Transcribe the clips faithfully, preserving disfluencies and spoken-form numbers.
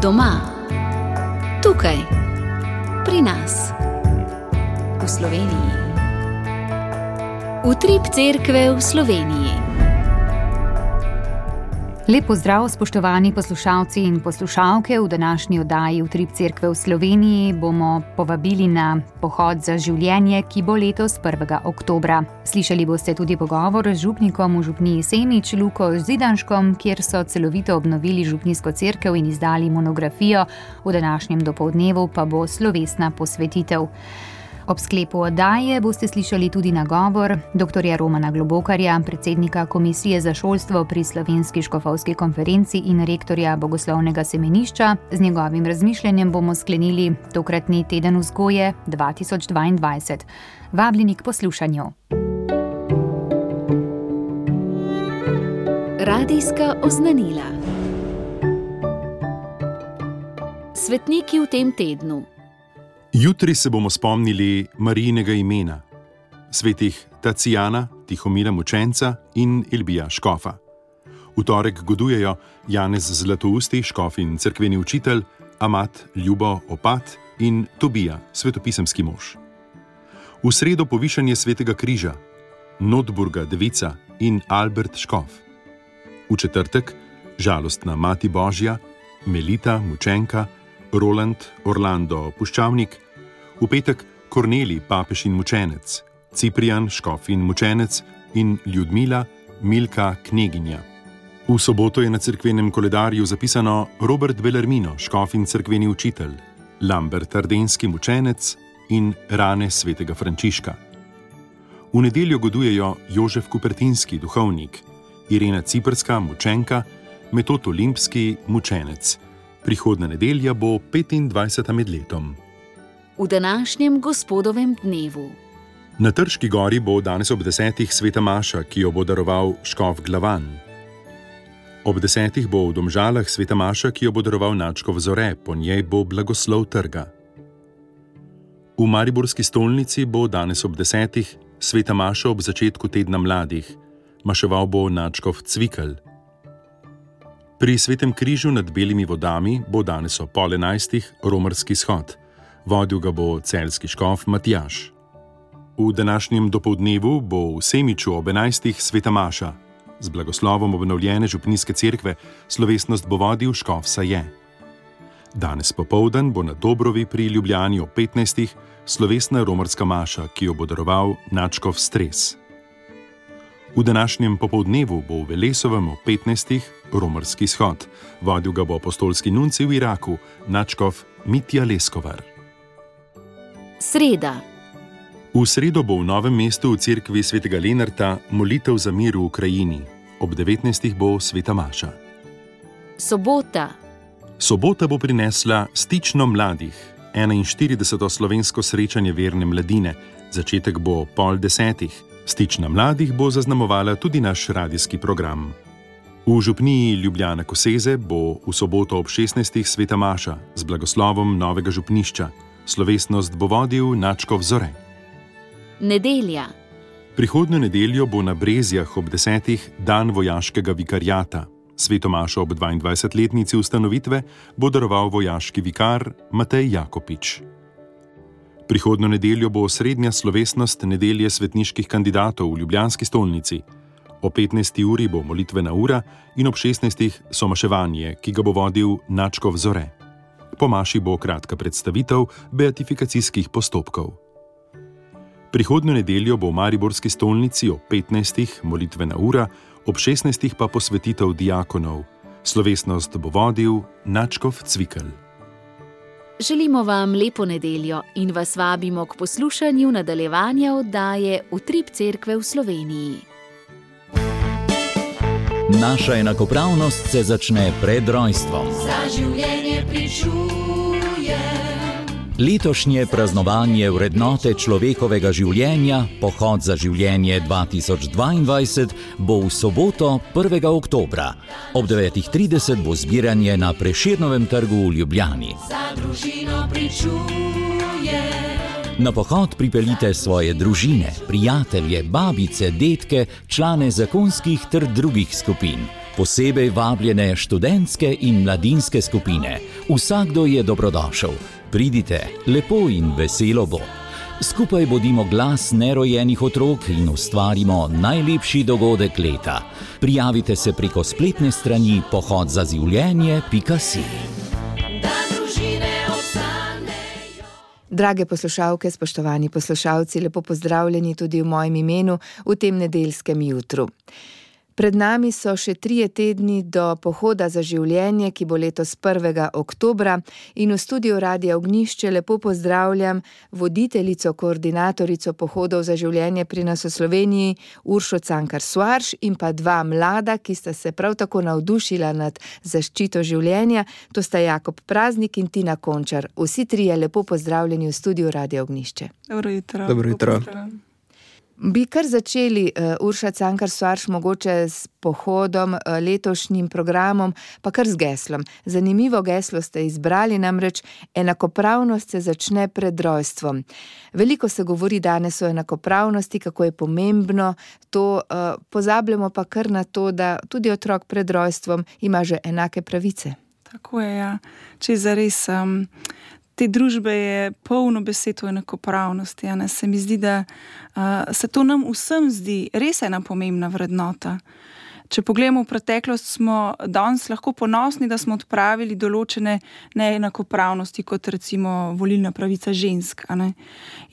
Doma, tukaj, pri nas, v Sloveniji. Utrip cerkve v Sloveniji. Lep pozdrav, spoštovani poslušalci in poslušalke. V današnji oddaji Utrip cerkve v Sloveniji bomo povabili na pohod za življenje, ki bo letos prvega oktobra. Slišali boste tudi pogovor z župnikom v župniji Semič, Luko Zidanškom, kjer so celovito obnovili župnijsko cerkev in izdali monografijo. V današnjem dopoldnevu pa bo slovesna posvetitev. Ob sklepu oddaje boste slišali tudi nagovor doktorja Romana Globokarja, predsednika Komisije za šolstvo pri Slovenski škofovski konferenci in rektorja Bogoslovnega semenišča. Z njegovim razmišljanjem bomo sklenili tokratni teden vzgoje dva tisoč dvaindvajset. Vabljeni k poslušanju. Radijska oznanila. Svetniki v tem tednu. Jutri se bomo spomnili Marijinega imena, svetih Tacijana, Tihomira Mučenca in Elbija škofa. V torek godujejo Janez Zlatousti, škof in cerkveni učitelj, Amat Ljubo Opat in Tobija, svetopisemski mož. V sredo povišanje svetega križa, Notburga devica in Albert škof. V četrtek žalostna mati Božja, Melita Mučenka, Roland Orlando Puščavnik, v petek Kornelij papež in mučenec, Ciprijan škof in mučenec in Ljudmila Milka kneginja. V soboto je na cerkvenem koledarju zapisano Robert Bellarmino, škof in cerkveni učitelj, Lambert Ardenski mučenec in rane svetega Frančiška. V nedeljo godujejo Jožef Kupertinski duhovnik, Irena Ciprska mučenka, Metod Olimpski mučenec. Prihodna nedelja bo petindvajseta med letom. V današnjem gospodovem dnevu. Na Trški gori bo danes ob desetih sveta maša, ki jo bo daroval škof Glavan. Ob desetih bo v Domžalah sveta maša, ki jo bo daroval nadškof Zore, po njej bo blagoslov trga. V mariborski stolnici bo danes ob desetih sveta maša ob začetku tedna mladih. Maševal bo nadškof Cvikl. Pri svetem križu nad belimi vodami bo danes ob pol enajstih romarski shod. Vodil ga bo celjski škof Matjaž. V današnjem dopoldnevu bo v Semiču ob enajstih sveta maša. Z blagoslovom obnovljene župnijske cerkve slovesnost bo vodil škof Saje. Danes popoldan bo na Dobrovi pri Ljubljani ob petnajstih slovesna romarska maša, ki jo bo daroval nadškof Stres. V današnjem popoldnevu bo v Velesovem ob petnajstih romarski shod. Vodil ga bo apostolski nuncij v Iraku, nadškof Mitja Leskovar. Sreda. V sredo bo v Novem mestu v cerkvi svetega Lenarta molitev za mir v Ukrajini. Ob devetnajstih bo sveta maša. Sobota. Sobota bo prinesla Stično mladih, enainštirideseto slovensko srečanje verne mladine. Začetek bo pol desetih. Stična mladih bo zaznamovala tudi naš radijski program. V župniji Ljubljana Koseze bo v soboto ob šestnajstih sveta maša z blagoslovom novega župnišča. Slovesnost bo vodil nadškof Zore. Nedelja. Prihodnjo nedeljo bo na Brezjah ob desetih dan vojaškega vikariata. Sveto mašo ob dvaindvajsetletnici ustanovitve bo daroval vojaški vikar Matej Jakopič. Prihodnjo nedeljo bo osrednja slovesnost nedelje svetniških kandidatov v ljubljanski stolnici. O petnajsti uri bo molitvena ura in ob šestnajstih somaševanje, ki ga bo vodil nadškof Zore. Po maši bo kratka predstavitev beatifikacijskih postopkov. Prihodnjo nedeljo bo v mariborski stolnici ob petnajstih molitvena ura, ob šestnajstih pa posvetitev diakonov. Slovesnost bo vodil nadškof Cvikl. Želimo vam lepo nedeljo in vas vabimo k poslušanju nadaljevanja oddaje Utrip cerkve v Sloveniji. Naša enakopravnost se začne pred rojstvom. Za življenje pričujem. Letošnje praznovanje vrednote človekovega življenja, pohod za življenje dva tisoč dvaindvajset, bo v soboto prvega oktobra. Ob devetih trideset bo zbiranje na Prešernovem trgu v Ljubljani. Za družino pričujem. Na pohod pripeljite svoje družine, prijatelje, babice, dedke, člane zakonskih ter drugih skupin. Posebej vabljene študentske in mladinske skupine. Vsakdo je dobrodošel. Pridite, lepo in veselo bo. Skupaj bodimo glas nerojenih otrok in ustvarimo najlepši dogodek leta. Prijavite se preko spletne strani pohod za življenje pika si. Drage poslušalke, spoštovani poslušalci, lepo pozdravljeni tudi v mojem imenu v tem nedeljskem jutru. Pred nami so še trije tedni do pohoda za življenje, ki bo letos prvega oktobra, in v studiu Radia Ognjišče lepo pozdravljam voditeljico, koordinatorico pohodov za življenje pri nas v Sloveniji, Uršo Cankar Soares, in pa dva mlada, ki sta se prav tako navdušila nad zaščito življenja, to sta Jakob Praznik in Tina Končar. Vsi trije lepo pozdravljeni v studiu Radia Ognjišče. Dobro jutro. Dobro jutro. Bi kar začeli, uh, Urša Cankar Soares, mogoče s pohodom, uh, letošnjim programom, pa kar z geslom. Zanimivo geslo ste izbrali, namreč enakopravnost se začne pred rojstvom. Veliko se govori danes o enakopravnosti, kako je pomembno to, uh, pozabljamo pa kar na to, da tudi otrok pred rojstvom ima že enake pravice. Tako je, ja. Če zares... Um... Te družbe je polno besed o enakopravnosti. Ne? Se mi zdi, da uh, se to nam vsem zdi res ena pomembna vrednota. Če pogledamo v preteklost, smo danes lahko ponosni, da smo odpravili določene neenakopravnosti, kot recimo volilna pravica žensk. A ne?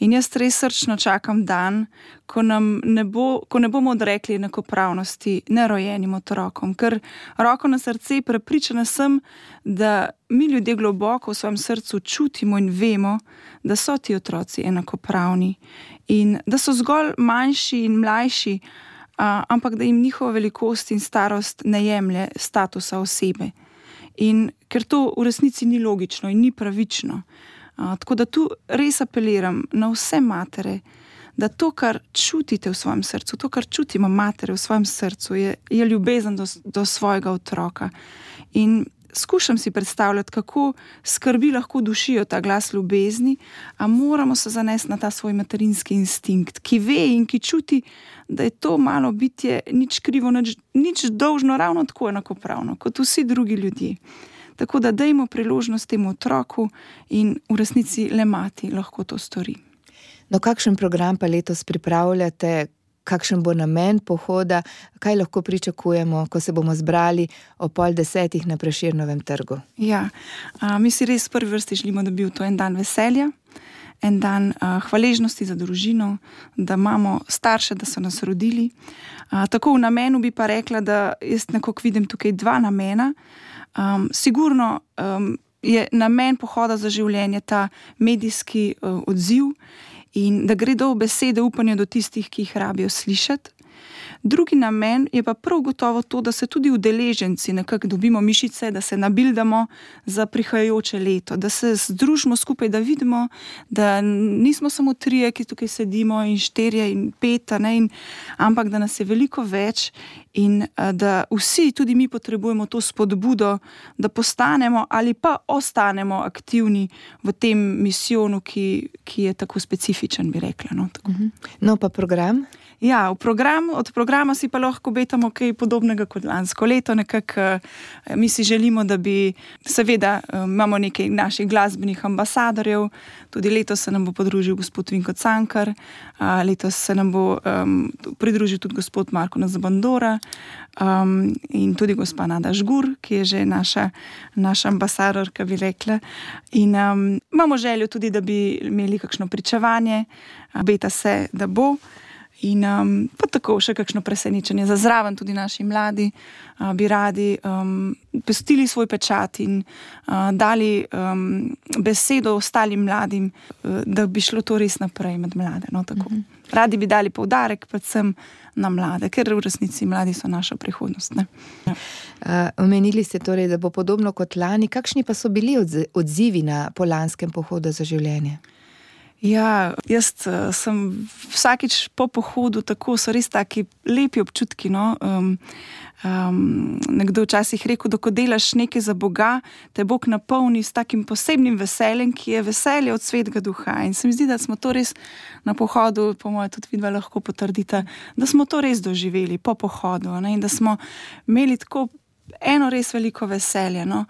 In jaz res srčno čakam dan, ko, nam ne bo, ko ne bomo odrekli enakopravnosti nerojenim otrokom. Ker roko na srce prepričana sem, da mi ljudje globoko v svojem srcu čutimo in vemo, da so ti otroci enakopravni in da so zgolj manjši in mlajši, Uh, ampak da jim njihova velikost in starost ne jemlje statusa osebe. In ker to v resnici ni logično in ni pravično. Uh, tako da tu res apeliram na vse matere, da to, kar čutite v svojem srcu, to, kar čutimo matere v svojem srcu, je, je ljubezen do, do svojega otroka. In skušam si predstavljati, kako skrbi lahko dušijo ta glas ljubezni, a moramo se zanesti na ta svoj materinski instinkt, ki ve in ki čuti, da je to malo bitje nič krivo, nič, nič dolžno, ravno tako enakopravno, kot vsi drugi ljudje. Tako da dajmo priložnost temu otroku in v resnici le mati lahko to stori. No, kakšen program pa letos pripravljate? Kakšen bo namen pohoda, kaj lahko pričakujemo, ko se bomo zbrali o pol desetih na Prešernovem trgu? Ja, a, mi si res v prvi vrsti želimo, da bi bil to en dan veselja, en dan a, hvaležnosti za družino, da imamo starše, da so nas rodili. A, tako v namenu bi pa rekla, da jaz nekako vidim tukaj dva namena. Um, sigurno um, je namen pohoda za življenje ta medijski uh, odziv, in da gredo besede upanja do tistih, ki jih rabijo slišati. Drugi namen je pa prav gotovo to, da se tudi udeleženci nekako dobimo mišice, da se nabildamo za prihajajoče leto, da se združimo skupaj, da vidimo, da nismo samo trije, ki tukaj sedimo, in štirje in pet, ne, in, ampak da nas je veliko več in da vsi, tudi mi, potrebujemo to spodbudo, da postanemo ali pa ostanemo aktivni v tem misijonu, ki, ki je tako specifičen, bi rekla. No, tako. No pa program? Ja, v program, od programa si pa lahko obetamo kaj podobnega kot lansko leto. Nekako mi si želimo, da bi, seveda imamo nekaj naših glasbenih ambasadorjev, tudi letos se nam bo podružil gospod Vinko Cankar, letos se nam bo um, pridružil tudi gospod Marko Nazabandora um, in tudi gospa Nada Žgur, ki je že naša, naša ambasadorka, bi rekla. In um, imamo željo tudi, da bi imeli kakšno pričevanje, obeta se, da bo. In um, pa tako še kakšno presenečenje za zraven, tudi naši mladi uh, bi radi um, pustili svoj pečat in uh, dali um, besedo ostalim mladim, uh, da bi šlo to res naprej med mlade. No, tako. Mm-hmm. Radi bi dali poudarek predvsem na mlade, ker v resnici mladi so naša prihodnost. Ne? Ja. Uh, omenili ste torej, da bo podobno kot lani. Kakšni pa so bili odzivi na polanskem pohodu za življenje? Ja, jaz uh, sem vsakič po pohodu, tako so res taki lepi občutki. No? Um, um, nekdo včasih rekel, da ko delaš nekaj za Boga, te Bog napolni s takim posebnim veseljem, ki je veselje od svetega duha. In se mi zdi, da smo to res na pohodu, po mojem tudi vidva lahko potrdita, da smo to res doživeli po pohodu, ne? In da smo imeli tako eno res veliko veselje. No?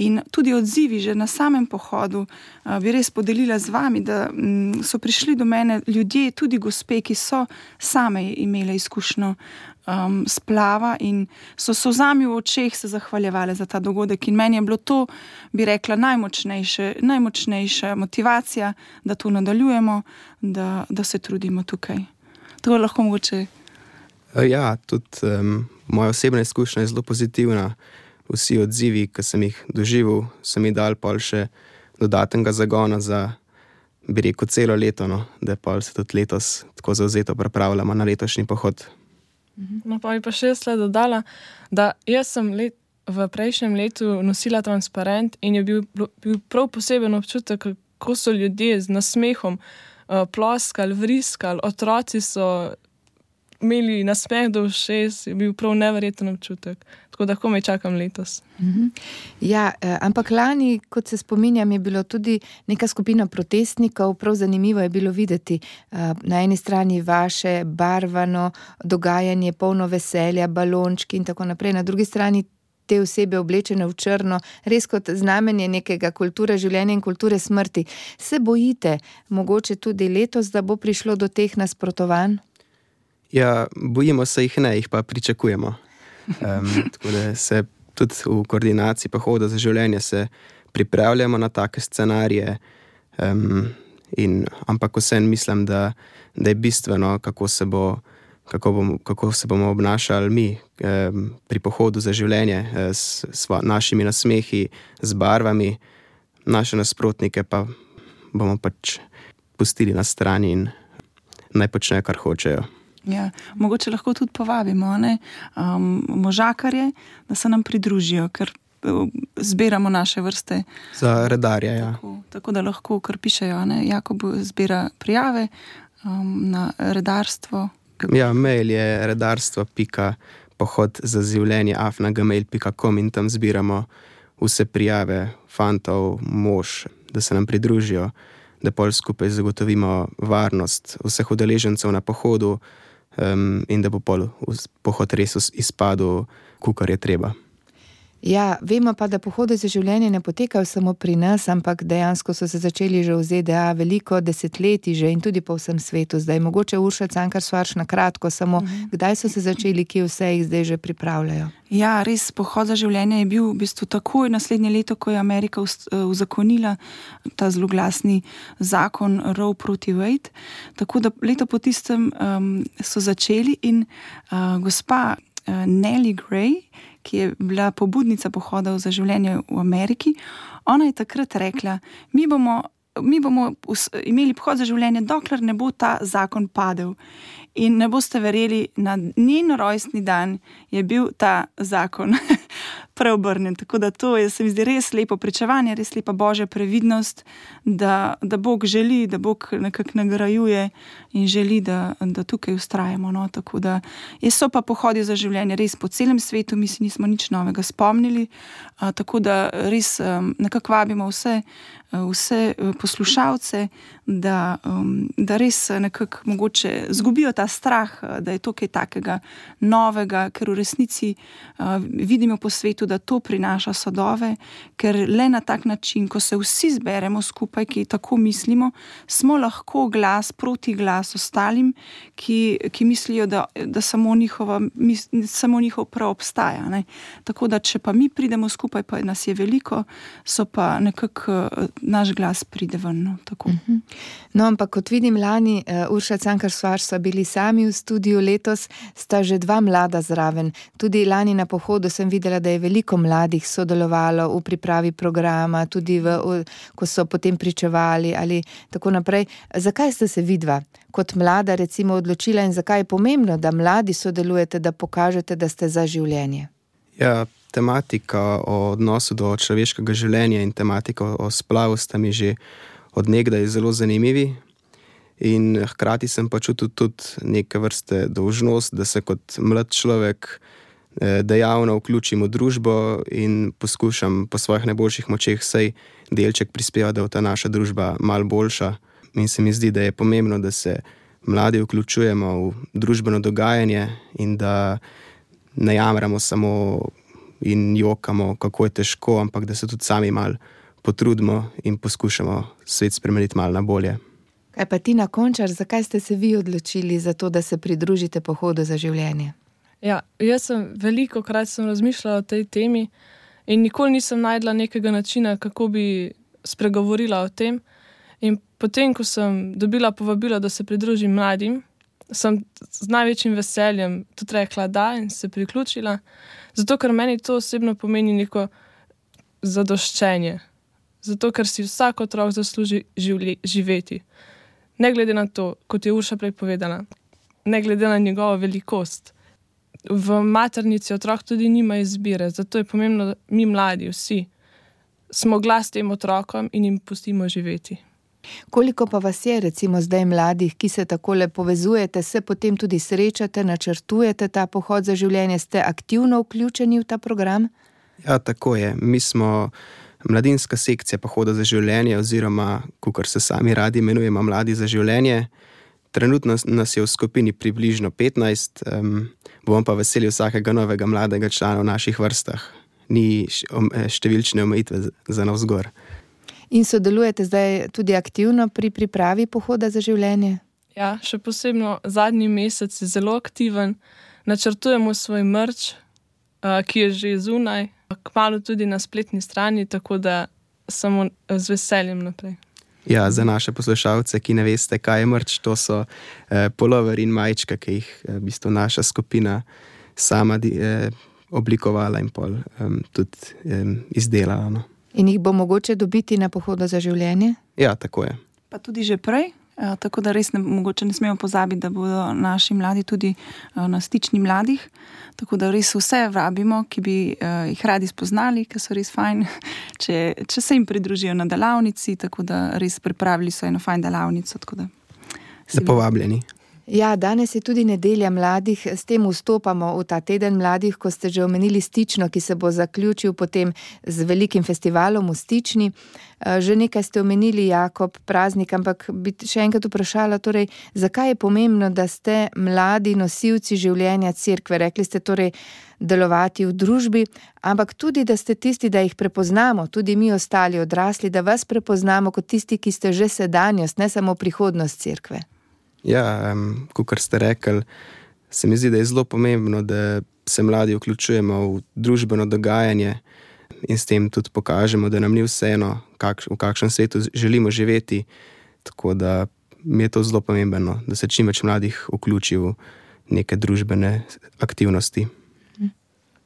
In tudi odzivi že na samem pohodu uh, bi res podelila z vami, da um, so prišli do mene ljudje, tudi gospe, ki so same imele izkušnjo um, splava in so solzami v očeh se zahvaljevale za ta dogodek. In meni je bilo to, bi rekla, najmočnejše, najmočnejša motivacija, da to nadaljujemo, da, da se trudimo tukaj. To lahko mogoče. Ja, tudi um, moja osebna izkušnja je zelo pozitivna. Vsi odzivi, ki sem jih doživel, so mi dali pol še dodatnega zagona za, bi rekel, celo leto, no? Da pol se tudi letos tako zavzeto pripravljamo na letošnji pohod. No, pa bi pa še jaz le dodala, da jaz sem let, v prejšnjem letu nosila transparent in je bil, bil prav poseben občutek, kako so ljudje z nasmehom uh, ploskali, vriskali, otroci so imeli nasmeh do ušes, je bil prav neverjeten občutek. Tako da komaj čakam letos. Mhm. Ja, eh, ampak lani, kot se spominjam, je bilo tudi neka skupina protestnikov, prav zanimivo je bilo videti eh, na eni strani vaše barvano dogajanje, polno veselja, balončki in tako naprej, na drugi strani te osebe oblečene v črno, res kot znamenje nekega kulture življenja in kulture smrti. Se bojite mogoče tudi letos, da bo prišlo do teh nasprotovanj? Ja, bojimo se jih ne, jih pa pričakujemo. Um, tako da se tudi v koordinaciji pohoda za življenje se pripravljamo na take scenarije, um, in, ampak vsem mislim, da, da je bistveno, kako se, bo, kako bom, kako se bomo obnašali mi um, pri pohodu za življenje s, s našimi nasmehi, z barvami, naše nasprotnike pa bomo pač pustili na strani in naj počnejo, kar hočejo. Ja, mogoče lahko tudi povabimo ne? Um, možakarje, da se nam pridružijo, ker zbiramo naše vrste. Za redarje, ja. Tako, tako da lahko, kar pišejo, ne? Jakob zbira prijave um, na redarstvo. Ja, mail je redarstvo pika pohod za življenje afna gmail pika com in tam zbiramo vse prijave fantov, mož, da se nam pridružijo, da pol skupaj zagotovimo varnost vseh udeležencev na pohodu, Um, in da bo pol pohod res izpadel, kakor je treba. Ja, vemo pa, da pohode za življenje ne potekajo samo pri nas, ampak dejansko so se začeli že v Z D A veliko desetletij že in tudi po vsem svetu. Zdaj mogoče Urša Cankar Švarc na kratko, samo uh-huh. Kdaj so se začeli, kje vse jih zdaj že pripravljajo? Ja, res, pohod za življenje je bil v bistvu takoj naslednje leto, ko je Amerika uzakonila ta zloglasni zakon Roe proti Wade. Tako da leto po tistem um, so začeli in uh, gospa uh, Nellie Gray, ki je bila pobudnica pohodov za življenje v Ameriki, ona je takrat rekla, mi bomo, mi bomo imeli pohod za življenje, dokler ne bo ta zakon padel. In ne boste verjeli, na njen rojstni dan je bil ta zakon preobrnjen. Tako da to je, se mi zdi, res lepo pričevanje, res lepa Božja previdnost, da, da Bog želi, da Bog nekako nagrajuje in želi, da, da tukaj vztrajamo. No? Tako da so pa pohodi za življenje res po celem svetu, mi si nismo nič novega spomnili, a, tako da res um, nekako vabimo vse, vse poslušalce, da, um, da res nekako mogoče zgubijo ta strah, da je to kaj takega novega, ker v resnici uh, vidimo po svetu, da to prinaša sadove, ker le na tak način, ko se vsi zberemo skupaj, ki tako mislimo, smo lahko glas proti glas ostalim, ki, ki mislijo, da, da samo, njihova, mis, samo njihov prav obstaja. Ne? Tako da, če pa mi pridemo skupaj, pa nas je veliko, so pa nekako naš glas pride ven. No, tako. No, ampak kot vidim lani, uh, Urša Cankar Švarc so bili sami v studiu, letos sta že dva mlada zraven. Tudi lani na pohodu sem videla, da je veliko mladih sodelovalo v pripravi programa, tudi v, v, ko so potem pričevali ali tako naprej. Zakaj ste se vidva kot mlada recimo odločila in zakaj je pomembno, da mladi sodelujete, da pokažete, da ste za življenje? Ja, tematika o odnosu do človeškega življenja in tematika o splavu sta mi že od nekdaj zelo zanimivi. in hkrati sem pa čutil tudi neke vrste dolžnost, da se kot mlad človek dejavno vključim v družbo in poskušam po svojih najboljših močeh vsaj delček prispevati, da je ta naša družba malo boljša. In se mi zdi, da je pomembno, da se mladi vključujemo v družbeno dogajanje in da ne jamramo samo in jokamo, kako je težko, ampak da se tudi sami malo potrudimo in poskušamo svet spremeniti malo na bolje. Kaj pa Tina Končar, zakaj ste se vi odločili za to, da se pridružite Pohodu za življenje? Ja, jaz sem veliko krat sem razmišljala o tej temi in nikoli nisem najdla nekega načina, kako bi spregovorila o tem. In potem, ko sem dobila povabilo, da se pridružim mladim, sem z največjim veseljem tudi rekla da in se priključila, zato ker meni to osebno pomeni neko zadoščenje. Zato ker si vsak otrok zasluži živli, živeti. Ne glede na to, kot je Urša prej povedala, ne glede na njegovo velikost. V maternici otrok tudi nima izbire, zato je pomembno, da mi mladi vsi smo glas tem otrokom in jim pustimo živeti. Koliko pa vas je recimo zdaj mladih, ki se takole povezujete, se potem tudi srečate, načrtujete ta pohod za življenje, ste aktivno vključeni v ta program? Ja, tako je. Mi smo mladinska sekcija Pohoda za življenje oziroma, kakor se sami radi imenujemo, Mladi za življenje. Trenutno nas je v skupini približno petnajst, um, bom pa veseli vsakega novega mladega člana v naših vrstah. Ni številčne omejitve za navzgor. In sodelujete zdaj tudi aktivno pri pripravi Pohoda za življenje? Ja, še posebno zadnji mesec je zelo aktiven. Načrtujemo svoj merch, ki je že zunaj, kmalu tudi na spletni strani, tako da samo z veseljem naprej. Ja, za naše poslušalce, ki ne veste, kaj je merch, to so eh, polover in majčka, ki jih eh, v bistvu naša skupina sama eh, oblikovala in pol eh, tudi eh, izdelala. No. In jih bo mogoče dobiti na Pohodu za življenje? Ja, tako je. Pa tudi že prej, eh, tako da res ne, mogoče ne smemo pozabiti, da bodo naši mladi tudi eh, na stični mladih, tako da res vse vabimo, ki bi uh, jih radi spoznali, ki so res fajn, če, če se jim pridružijo na delavnici, tako da res pripravili so eno fajn delavnico. Tako da Ste povabljeni. Ja, danes je tudi nedelja mladih, s tem vstopamo v ta teden mladih, ko ste že omenili Stično, ki se bo zaključil potem z velikim festivalom v Stični. Že nekaj ste omenili, Jakob, praznik, ampak bi še enkrat vprašala, torej, zakaj je pomembno, da ste mladi nosilci življenja cerkve? Rekli ste torej delovati v družbi, ampak tudi, da ste tisti, da jih prepoznamo, tudi mi ostali odrasli, da vas prepoznamo kot tisti, ki ste že sedanjost, ne samo prihodnost cerkve. Ja, um, kakor ste rekli, se mi zdi, da je zelo pomembno, da se mladi vključujemo v družbeno dogajanje in s tem tudi pokažemo, da nam ni vseeno, kakš, v kakšnem svetu želimo živeti. Tako da mi je to zelo pomembno, da se čim več mladih vključi v neke družbene aktivnosti.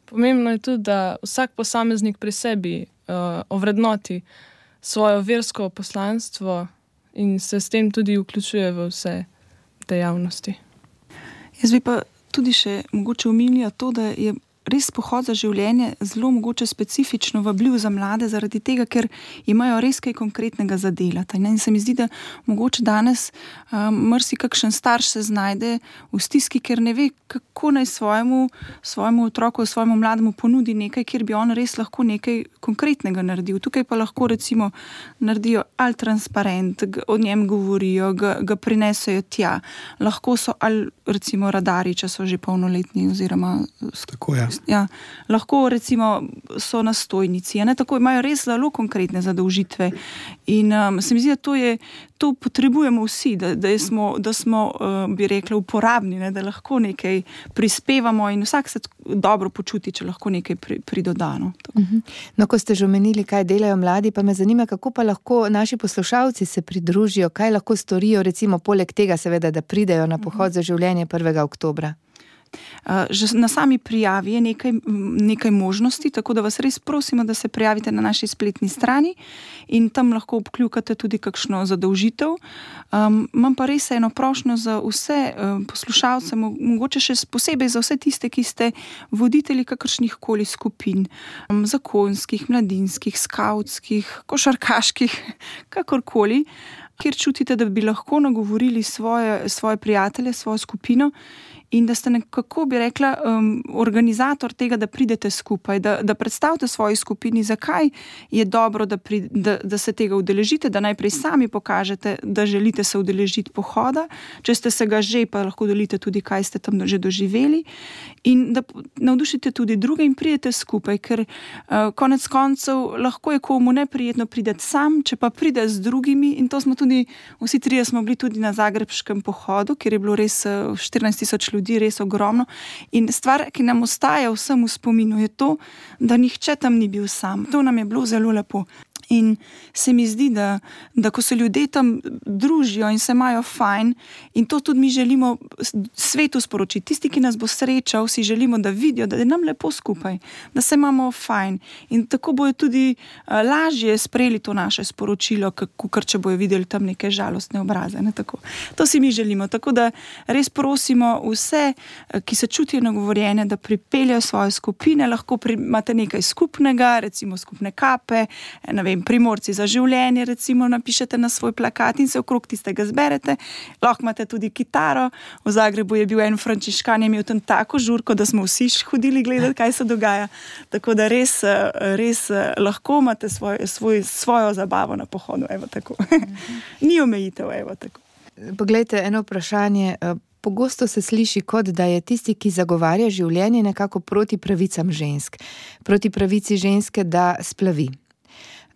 Pomembno je tudi, da vsak posameznik pri sebi uh, ovrednoti svojo versko poslanstvo in se s tem tudi vključuje v vse dejavnosti. Jaz bi pa tudi še mogoče omenila to, da je res pohod za življenje zelo mogoče specifično vabljiv za mlade, zaradi tega, ker imajo res kaj konkretnega za delati. In se mi zdi, da mogoče danes um, mrsi kakšen starš se znajde v stiski, ker ne ve, kako naj svojemu, svojemu otroku, svojemu mlademu ponudi nekaj, kjer bi on res lahko nekaj konkretnega naredil. Tukaj pa lahko recimo naredijo ali transparent, o njem govorijo, ga, ga prinesejo tja. Lahko so ali recimo radari, če so že polnoletni oziroma tako je. Ja, lahko recimo so na stojnici, ne, tako imajo res zelo konkretne zadolžitve in um, se mi zdi, da to, je, to potrebujemo vsi, da, da smo, da smo uh, bi rekla, uporabni, ne, da lahko nekaj prispevamo in vsak se dobro počuti, če lahko nekaj pri, pridodano. Uh-huh. No, ko ste že omenili, kaj delajo mladi, pa me zanima, kako pa lahko naši poslušalci se pridružijo, kaj lahko storijo, recimo poleg tega seveda, da pridejo na Pohod za življenje prvega oktobra. Že na sami prijavi je nekaj, nekaj možnosti, tako da vas res prosimo, da se prijavite na naši spletni strani in tam lahko obkljukate tudi kakšno zadolžitev. Um, imam pa res eno prošnjo za vse um, poslušalce, mogoče še posebej za vse tiste, ki ste voditelji kakršnih koli skupin, um, zakonskih, mladinskih, skavtskih, košarkaških, kakorkoli. kjer čutite, da bi lahko nagovorili svoje, svoje prijatelje, svojo skupino in da ste nekako, bi rekla, um, organizator tega, da pridete skupaj, da, da predstavite svoji skupini, zakaj je dobro, da, pri, da, da se tega udeležite, da najprej sami pokažete, da želite se udeležiti pohoda, če ste se ga že, pa lahko delite tudi, kaj ste tam že doživeli in da navdušite tudi druge in pridete skupaj, ker uh, konec koncev lahko je komu neprijetno prideti sam, če pa pride z drugimi in to smo tudi, vsi trije smo bili tudi na zagrebškem pohodu, kjer je bilo res uh, štirinajst tisoč ljudi, res ogromno. In stvar, ki nam ostaja vsem v spominu, je to, da nihče tam ni bil sam. To nam je bilo zelo lepo. In se mi zdi, da, da ko se ljudje tam družijo in se imajo fajn, in to tudi mi želimo svetu sporočiti. Tisti, ki nas bo srečal, si želimo, da vidijo, da je nam lepo skupaj, da se imamo fajn. In tako bojo tudi uh, lažje sprejeli to naše sporočilo, kakor če bojo videli tam neke žalostne obraze. Ne? Tako. To si mi želimo. Tako da res prosimo vse, ki se čutijo nagovorjene, da pripeljajo svoje skupine, lahko pri, imate nekaj skupnega, recimo skupne kape, ne vem, Primorci za življenje, recimo, napišete na svoj plakat in se okrog tistega zberete. Lahko imate tudi kitaro. V Zagrebu je bil en frančiškan, je imel tam tako žurko, da smo vsi hodili gledati, kaj se dogaja. Tako da res, res lahko imate svoj, svoj, svojo zabavo na pohodu. Evo tako. Ni omejitev, evo tako. Poglejte, eno vprašanje. Pogosto se sliši, kot da je tisti, ki zagovarja življenje, nekako proti pravicam žensk. Proti pravici ženske, da splavi.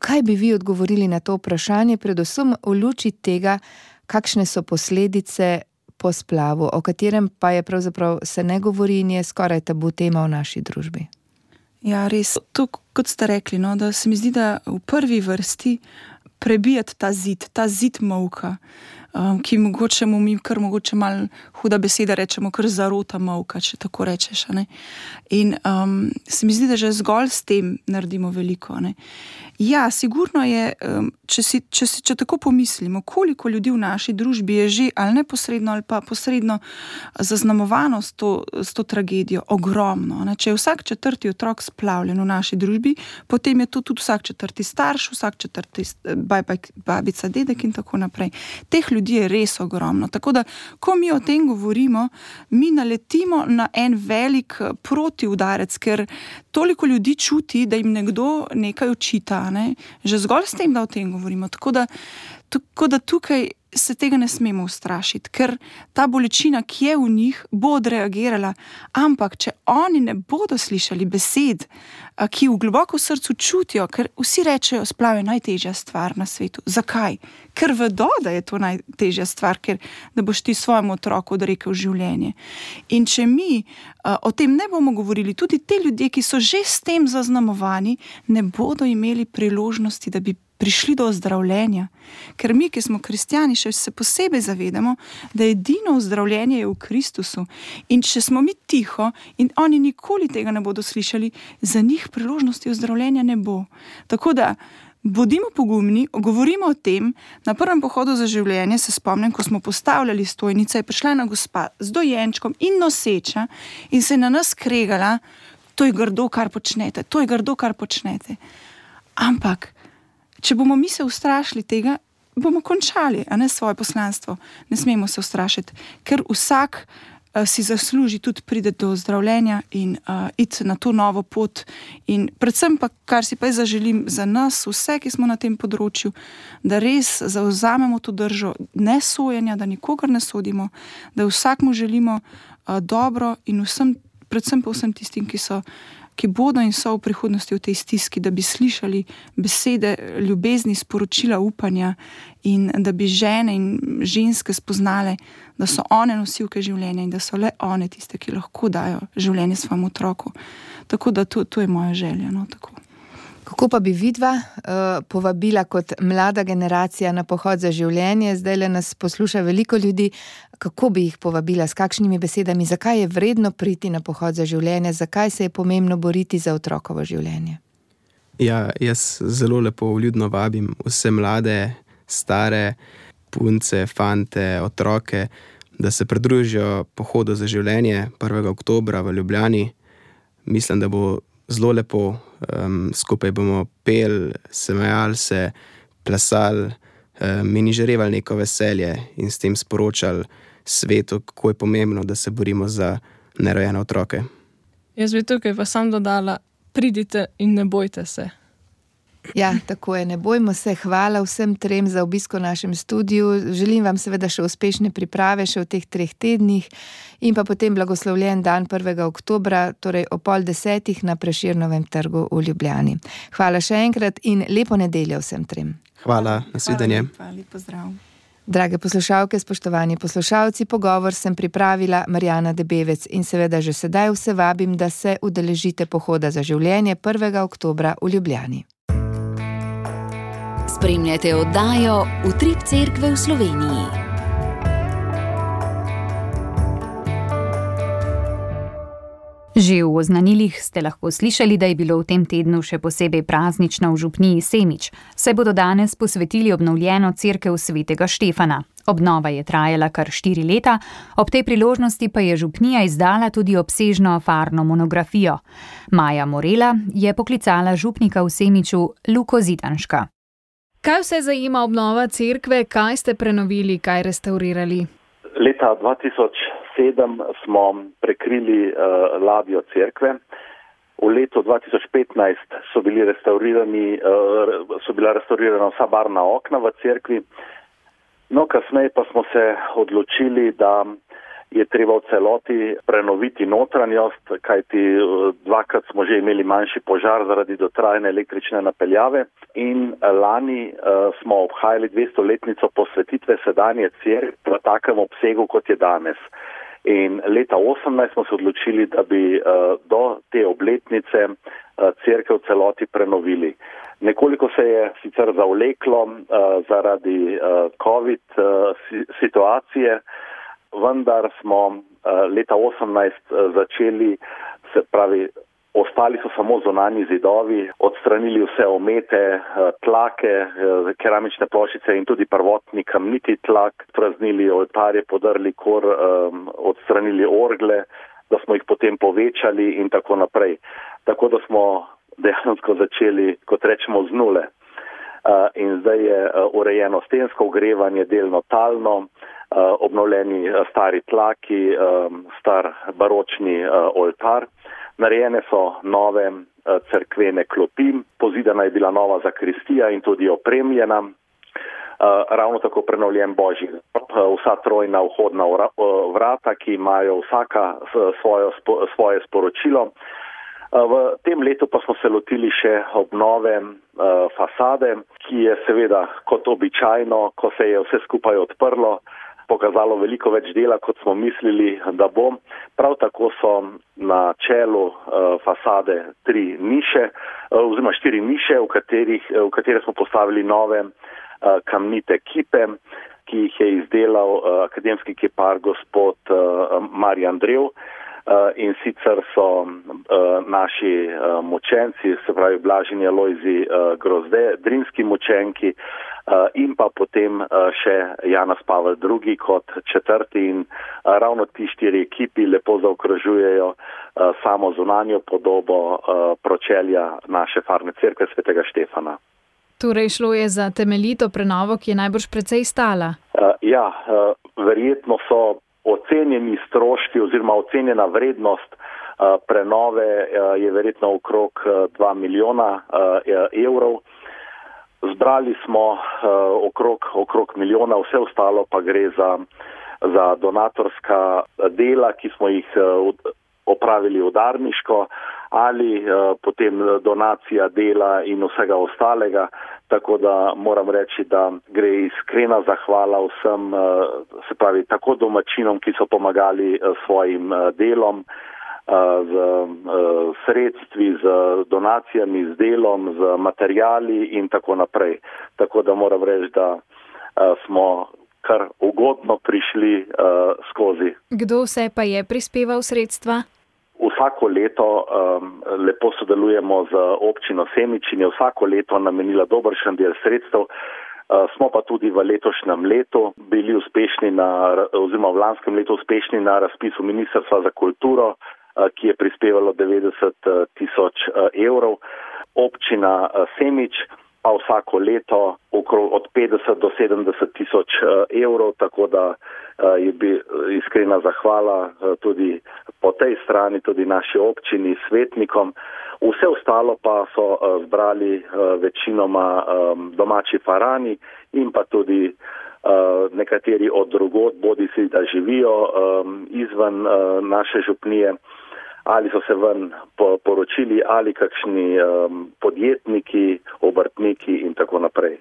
Kaj bi vi odgovorili na to vprašanje, predvsem v luči tega, kakšne so posledice po splavu, o katerem pa je pravzaprav se ne govori in je skoraj tabu tema v naši družbi? Ja, res. To, kot ste rekli, no, da se mi zdi, da v prvi vrsti prebijati ta zid, ta zid molka, um, ki mogoče mu mi kar mogoče malo huda beseda rečemo, kar zarota molka, če tako rečeš. Ne? In um, se mi zdi, da že zgolj s tem naredimo veliko. Ne? Ja, sigurno je, um, če, si, če, si, če tako pomislimo, koliko ljudi v naši družbi je že ali neposredno ali pa posredno zaznamovano s to, s to tragedijo, ogromno. Ne? Če je vsak četrti otrok splavljen v naši družbi, potem je to tudi vsak četrti starš, vsak četrti babica, dedek in tako naprej. Teh ljudi je res ogromno. Tako da, ko mi o tem govorimo, mi naletimo na en velik protiudarec, ker toliko ljudi čuti, da jim nekdo nekaj očita, ne? Že zgolj s tem, da o tem govorimo. Tako da, tako da tukaj se tega ne smemo ustrašiti, ker ta bolečina, ki je v njih, bo odreagirala, ampak če oni ne bodo slišali besed, ki v globoko srcu čutijo, ker vsi rečejo, splav je najtežja stvar na svetu. Zakaj? Ker vedo, da je to najtežja stvar, ker da boš ti svojemu otroku odrekel življenje. In če mi uh, o tem ne bomo govorili, tudi te ljudje, ki so že s tem zaznamovani, ne bodo imeli priložnosti, da bi prišli do ozdravljenja. Ker mi, ki smo kristjani, še se posebej zavedamo, da edino ozdravljenje je v Kristusu. In če smo mi tiho in oni nikoli tega ne bodo slišali, za njih priložnosti ozdravljenja ne bo. Tako da bodimo pogumni, govorimo o tem. Na prvem pohodu za življenje se spomnim, ko smo postavljali stojnice, je prišla ena gospa z dojenčkom in noseča in se je na nas kregala, to je grdo, kar počnete, to je grdo, kar počnete. Ampak če bomo mi se ustrašili tega, bomo končali, a ne svoje poslanstvo. Ne smemo se ustrašiti, ker vsak uh, si zasluži tudi priti do zdravljenja in uh, iti na to novo pot. In predvsem pa, kar si pa jaz zaželim za nas, vse, ki smo na tem področju, da res zavzamemo to držo nesojenja, da nikogar ne sodimo, da vsakmu želimo uh, dobro in vsem, predvsem pa vsem tistim, ki so ki bodo in so v prihodnosti v tej stiski, da bi slišali besede ljubezni, sporočila upanja in da bi žene in ženske spoznale, da so one nosilke življenja in da so le one tiste, ki lahko dajo življenje svojemu otroku. Tako da to, to je moja želja. No, tako. Kako pa bi vidva uh, povabila kot mlada generacija na pohod za življenje? Zdaj le nas posluša veliko ljudi. Kako bi jih povabila, s kakšnimi besedami? Zakaj je vredno priti na pohod za življenje? Zakaj se je pomembno boriti za otrokovo življenje? Ja, jaz zelo lepo vljudno vabim vse mlade, stare, punce, fante, otroke, da se pridružijo pohodu za življenje prvega oktobra v Ljubljani. Mislim, da bo zelo lepo. Um, skupaj bomo pel, smejali se, plesali, in izžarevali neko veselje in s tem sporočali svetu, kako je pomembno, da se borimo za nerojene otroke. Jaz bi tukaj pa sam dodala, pridite in ne bojte se. Ja, tako je, ne bojmo se. Hvala vsem trem za obisko v našem studiu. Želim vam seveda še uspešne priprave še v teh treh tednih in pa potem blagoslovljen dan prvega oktobra, torej o pol desetih na Prešernovem trgu v Ljubljani. Hvala še enkrat in lepo nedeljo vsem trem. Hvala, nasvidenje. Hvala, lep pozdrav. Drage poslušalke, spoštovani poslušalci, pogovor sem pripravila Marjana Debevec in seveda že sedaj vse vabim, da se udeležite pohoda za življenje prvega oktobra v Ljubljani. Spremljate oddajo Utrip Cerkve v Sloveniji. Že v oznanilih ste lahko slišali, da je bilo v tem tednu še posebej praznično v župniji Semič, saj bodo danes posvetili obnovljeno cerkev svetega Štefana. Obnova je trajala kar štiri leta, ob tej priložnosti pa je župnija izdala tudi obsežno farno monografijo. Maja Morela je poklicala župnika v Semiču Luko Zidanška. Kaj vse zajema obnova cerkve, kaj ste prenovili, kaj restaurirali? Leta dva tisoč sedem smo prekrili uh, ladjo cerkve. V letu dva tisoč petnajst so bili restaurirani, uh, so bila restaurirana vsa barvna okna v cerkvi. No, kasneje pa smo se odločili, da je treba v celoti prenoviti notranjost, kajti dvakrat smo že imeli manjši požar zaradi dotrajane električne napeljave in lani uh, smo obhajali dvestoletnico posvetitve sedanje cerkve v takem obsegu, kot je danes. In leta osemnajst smo se odločili, da bi uh, do te obletnice uh, cerkev v celoti prenovili. Nekoliko se je sicer zavleklo uh, zaradi uh, COVID uh, situacije, vendar smo uh, leta osemnajst uh, začeli, se pravi, ostali so samo zunanji zidovi, odstranili vse omete, uh, tlake, uh, keramične ploščice in tudi prvotni kamniti tlak, praznili oltarje, podrli kor, um, odstranili orgle, da smo jih potem povečali in tako naprej. Tako da smo dejansko začeli, kot rečemo, z nule. Uh, in zdaj je uh, urejeno stensko ogrevanje, delno talno, uh, obnovljeni uh, stari tlaki, um, star baročni uh, oltar. Narejene so nove uh, cerkvene klopi, pozidana je bila nova zakristija in tudi opremljena. Uh, ravno tako prenovljen božji grob, uh, vsa trojna vhodna vrata, ki imajo vsaka svojo, spo, svoje sporočilo. V tem letu pa smo se lotili še obnove uh, fasade, ki je seveda kot običajno, ko se je vse skupaj odprlo, pokazalo veliko več dela, kot smo mislili, da bo. Prav tako so na čelu uh, fasade tri niše, uh, oziroma štiri niše, v, katerih, v katere smo postavili nove uh, kamnite kipe, ki jih je izdelal uh, akademski kipar gospod uh, Marjan Drev. Uh, in sicer so uh, naši uh, močenci, se pravi Blaženi Alojzij uh, Grozde, drinski močenki uh, in pa potem uh, še Janez Pavel drugi kot četrti in uh, ravno ti štiri ekipi lepo zaokrožujejo uh, samo zunanjo podobo uh, pročelja naše farne cerkve svetega Štefana. Torej šlo je za temeljito prenovo, ki je najbrž precej stala. Uh, ja, uh, verjetno so ocenjeni stroški oziroma ocenjena vrednost uh, prenove uh, je verjetno okrog uh, dva milijona uh, evrov. Zbrali smo uh, okrog, okrog milijona, vse ostalo pa gre za, za donatorska dela, ki smo jih uh, opravili udarniško ali uh, potem donacija dela in vsega ostalega. Tako da moram reči, da gre iskrena zahvala vsem, uh, se pravi, tako domačinom, ki so pomagali uh, svojim uh, delom, uh, z uh, sredstvi, z donacijami, z delom, z materijali in tako naprej. Tako da moram reči, da uh, smo kar ugodno prišli uh, skozi. Kdo vse pa je prispeval sredstva? Vsako leto um, lepo sodelujemo z občino Semič in je vsako leto namenila dobršen del sredstev. Uh, smo pa tudi v letošnjem letu bili uspešni na, oziroma v lanskem letu uspešni na razpisu Ministrstva za kulturo, uh, ki je prispevalo devetdeset tisoč uh, evrov. Občina uh, Semič pa vsako leto okrog od petdeset do sedemdeset tisoč evrov, tako da je bi iskrena zahvala tudi po tej strani, tudi naši občini, svetnikom. Vse ostalo pa so zbrali večinoma domači farani in pa tudi nekateri od drugod, bodi si da živijo izven naše župnije, ali so se ven poročili, ali kakšni podjetniki, obrtniki in tako naprej.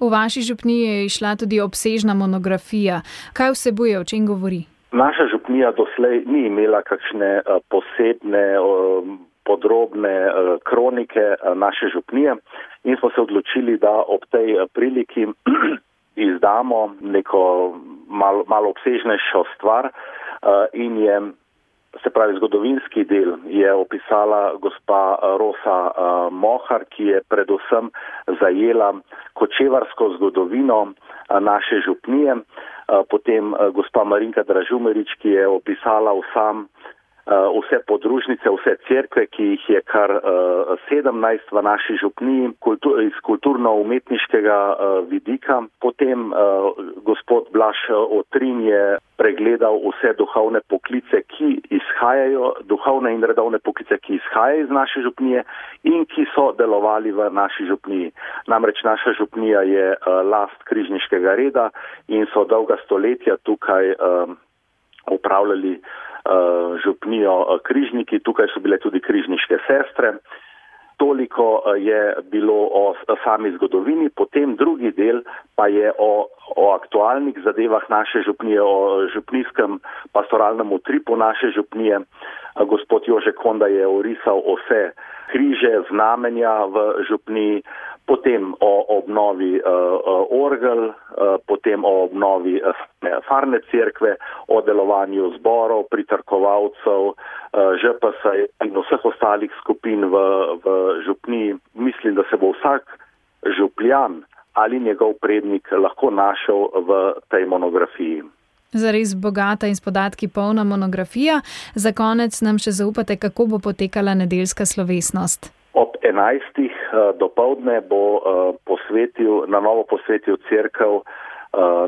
V vaši župniji je išla tudi obsežna monografija. Kaj vsebuje, o čem govori? Naša župnija doslej ni imela kakšne posebne, podrobne kronike naše župnije in smo se odločili, da ob tej priliki izdamo neko malo, malo obsežnejšo stvar in je, se pravi, zgodovinski del je opisala gospa Rosa Mohar, ki je predvsem zajela kočevarsko zgodovino naše župnije, potem gospa Marinka Dražumerič, ki je opisala vsam vse podružnice, vse cerkve, ki jih je kar sedemnajst v naši župniji kultur, iz kulturno-umetniškega vidika. Potem gospod Blaž Otrin je pregledal vse duhovne poklice, ki izhajajo, duhovne in redovne poklice, ki izhajajo iz naše župnije in ki so delovali v naši župniji. Namreč naša župnija je last križniškega reda in so dolga stoletja tukaj upravljali župnijo križniki, tukaj so bile tudi križniške sestre. Toliko je bilo o sami zgodovini, potem drugi del pa je o, o aktualnih zadevah naše župnije, o župnijskem pastoralnem utripu naše župnije. Gospod Jože Konda je orisal vse križe, znamenja v župniji, potem o obnovi uh, orgel, uh, potem o obnovi uh, farne cerkve, o delovanju zborov, pritrkovalcev, uh, Ž P S in vseh ostalih skupin v, v župniji. Mislim, da se bo vsak župljan ali njegov prednik lahko našel v tej monografiji. Zares bogata in s podatki polna monografija. Za konec nam še zaupate, kako bo potekala nedeljska slovesnost. Ob enajstih dopoldne bo posvetil, na novo posvetil cerkev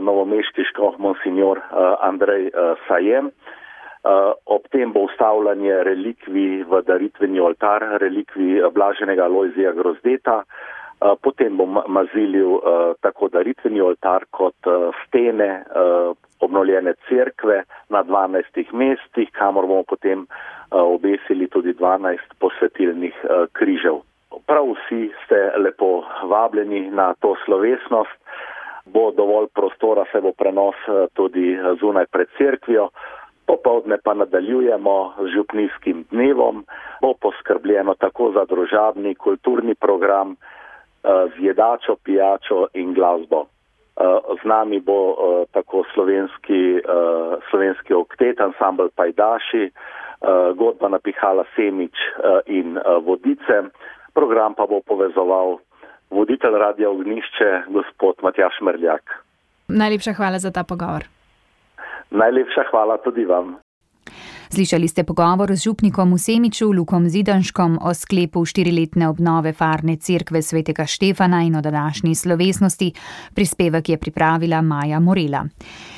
novomeški škof monsignor Andrej Sajem. Ob tem bo ustavljanje relikvij v daritveni oltar, relikvij blaženega Lojzija Grozdeta. Potem bo mazilil tako daritveni oltar kot stene obnovljene cerkve na dvanajstih mestih, kamor bomo potem obesili tudi dvanajst posvetilnih križev. Prav vsi ste lepo vabljeni na to slovesnost. Bo dovolj prostora, se bo prenos tudi zunaj pred cerkvijo. Popoldne pa nadaljujemo z župnijskim dnevom. Bo poskrbljeno tako za družabni, kulturni program z jedačo, pijačo in glasbo. Z nami bo tako slovenski, slovenski oktet, ansambl Pajdaši, godba napihala Semič in Vodice. Program pa bo povezoval voditelj Radia Ognišče, gospod Matjaž Merljak. Najlepša hvala za ta pogovor. Najlepša hvala tudi vam. Slišali ste pogovor z župnikom v Semiču, Lukom Zidanškom, o sklepu štiriletne obnove farne cerkve svetega Štefana in o današnji slovesnosti. Prispevek je pripravila Maja Morela.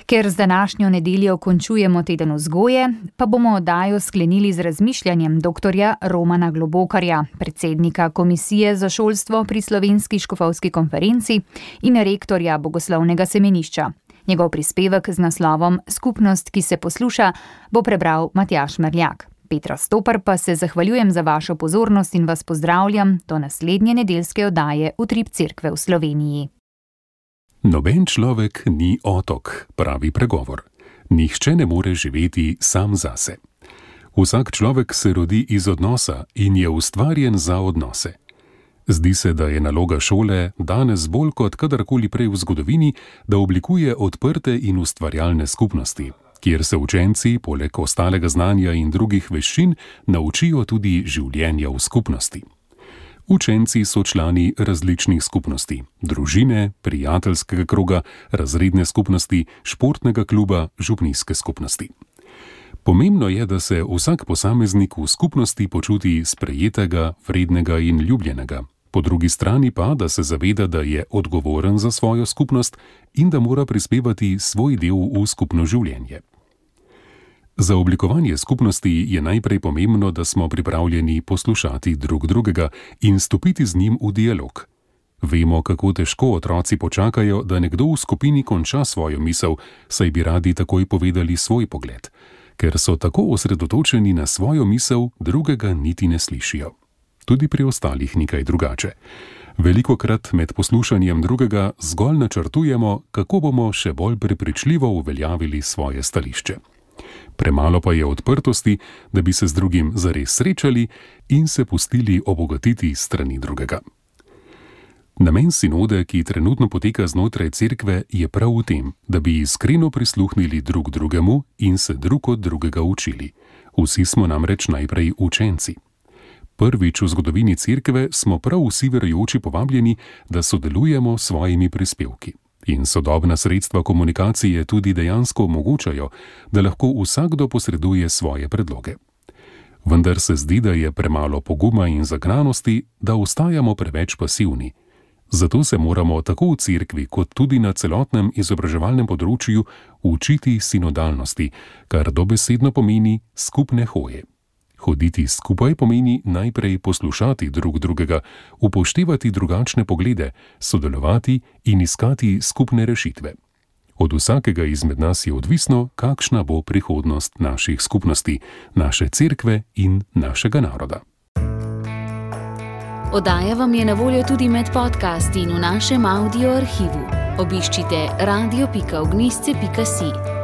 Ker z današnjo nedeljo končujemo teden vzgoje, pa bomo oddajo sklenili z razmišljanjem doktorja Romana Globokarja, predsednika Komisije za šolstvo pri Slovenski škofovski konferenci in rektorja Bogoslovnega semenišča. Njegov prispevek z naslovom Skupnost, ki se posluša, bo prebral Matjaž Merljak. Petra Stopar pa se zahvaljujem za vašo pozornost in vas pozdravljam do naslednje nedeljske oddaje Utrip cerkve v Sloveniji. Noben človek ni otok, pravi pregovor. Nihče ne more živeti sam zase. Vsak človek se rodi iz odnosa in je ustvarjen za odnose. Zdi se, da je naloga šole danes bolj kot kadarkoli prej v zgodovini, da oblikuje odprte in ustvarjalne skupnosti, kjer se učenci, poleg ostalega znanja in drugih veščin, naučijo tudi življenja v skupnosti. Učenci so člani različnih skupnosti, družine, prijateljskega kroga, razredne skupnosti, športnega kluba, župnijske skupnosti. Pomembno je, da se vsak posameznik v skupnosti počuti sprejetega, vrednega in ljubljenega, Po drugi strani pa, da se zaveda, da je odgovoren za svojo skupnost in da mora prispevati svoj del v skupno življenje. Za oblikovanje skupnosti je najprej pomembno, da smo pripravljeni poslušati drug drugega in stopiti z njim v dialog. Vemo, kako težko otroci počakajo, da nekdo v skupini konča svojo misel, saj bi radi takoj povedali svoj pogled. Ker so tako osredotočeni na svojo misel, drugega niti ne slišijo. Tudi pri ostalih nekaj drugače. Velikokrat med poslušanjem drugega zgolj načrtujemo, kako bomo še bolj prepričljivo uveljavili svoje stališče. Premalo pa je odprtosti, da bi se z drugim zares srečali in se pustili obogatiti strani drugega. Namen sinode, ki trenutno poteka znotraj cerkve, je prav v tem, da bi iskreno prisluhnili drug drugemu in se drug od drugega učili. Vsi smo namreč najprej učenci. Prvič v zgodovini cerkve smo prav vsi verujoči povabljeni, da sodelujemo s svojimi prispevki. In sodobna sredstva komunikacije tudi dejansko omogočajo, da lahko vsakdo posreduje svoje predloge. Vendar se zdi, da je premalo poguma in zagnanosti, da ostajamo preveč pasivni. Zato se moramo tako v cerkvi kot tudi na celotnem izobraževalnem področju učiti sinodalnosti, kar dobesedno pomeni skupne hoje. Hoditi skupaj pomeni najprej poslušati drug drugega, upoštevati drugačne poglede, sodelovati in iskati skupne rešitve. Od vsakega izmed nas je odvisno, kakšna bo prihodnost naših skupnosti, naše cerkve in našega naroda. Oddaja vam je na voljo tudi med podcasti in v našem audio arhivu. Obiščite radio pika ognjišče pika si.